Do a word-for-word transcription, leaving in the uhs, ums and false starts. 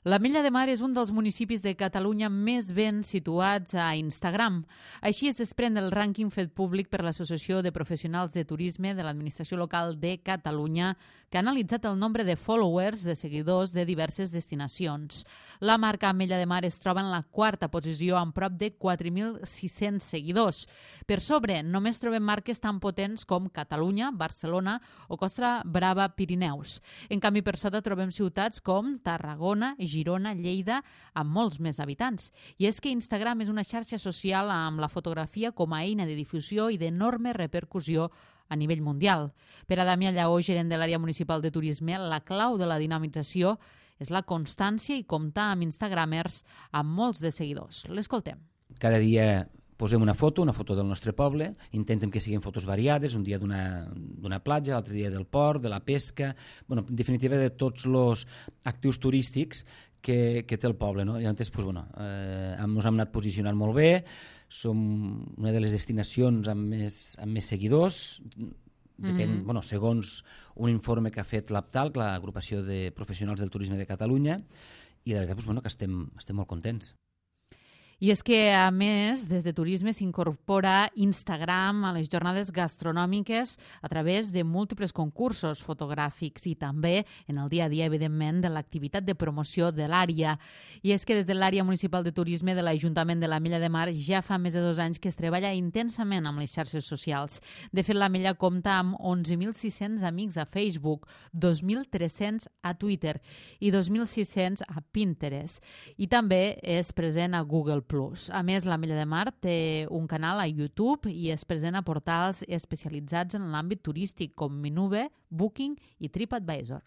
L'Ametlla de Mar és un dels municipis de Catalunya més ben situats a Instagram. Així es desprèn del rànquing fet públic per l'Associació de Professionals de Turisme de l'Administració Local de Catalunya, que ha analitzat el nombre de followers, de seguidors de diverses destinacions. La marca Ametlla de Mar es troba en la quarta posició amb prop de quatre mil sis-cents seguidors. Per sobre, només trobem marques tan potents com Catalunya, Barcelona o Costa Brava Pirineus. En canvi, per sota trobem ciutats com Tarragona, Girona, Lleida, amb molts més habitants. I és que Instagram és una xarxa social amb la fotografia com a eina de difusió i d'enorme repercussió a nivell mundial. Per a Damià Lleó, gerent de l'àrea municipal de turisme, la clau de la dinamització és la constància i comptar amb instagramers amb molts de seguidors. L'escoltem. Cada dia posem una foto, una foto del nostre poble, intentem que siguin fotos variades, un dia d'una platja, l'altre dia del port, de la pesca, bueno, en definitiva de tots els actius turístics que, que té el poble. No? Llavors, pues, bueno, eh, ens hem anat posicionant molt bé, som una de les destinacions amb més, amb més seguidors, depèn, mm-hmm. bueno, segons un informe que ha fet l'APTAL, l'Agrupació de Professionals del Turisme de Catalunya, i la veritat pues, bueno, que estem, estem molt contents. I és que, a més, des de Turisme s'incorpora Instagram a les jornades gastronòmiques a través de múltiples concursos fotogràfics i també en el dia a dia, evidentment, de l'activitat de promoció de l'àrea. I és que des de l'àrea municipal de turisme de l'Ajuntament de l'Ametlla de Mar ja fa més de dos anys que es treballa intensament amb les xarxes socials. De fet, l'Ametlla compta amb onze mil sis-cents amics a Facebook, dos mil tres-cents a Twitter i dos mil sis-cents a Pinterest. I també és present a Google Plus. A més, l'Ametlla de Mar té un canal a YouTube i és present a portals especialitzats en l'àmbit turístic com Minube, Booking i TripAdvisor.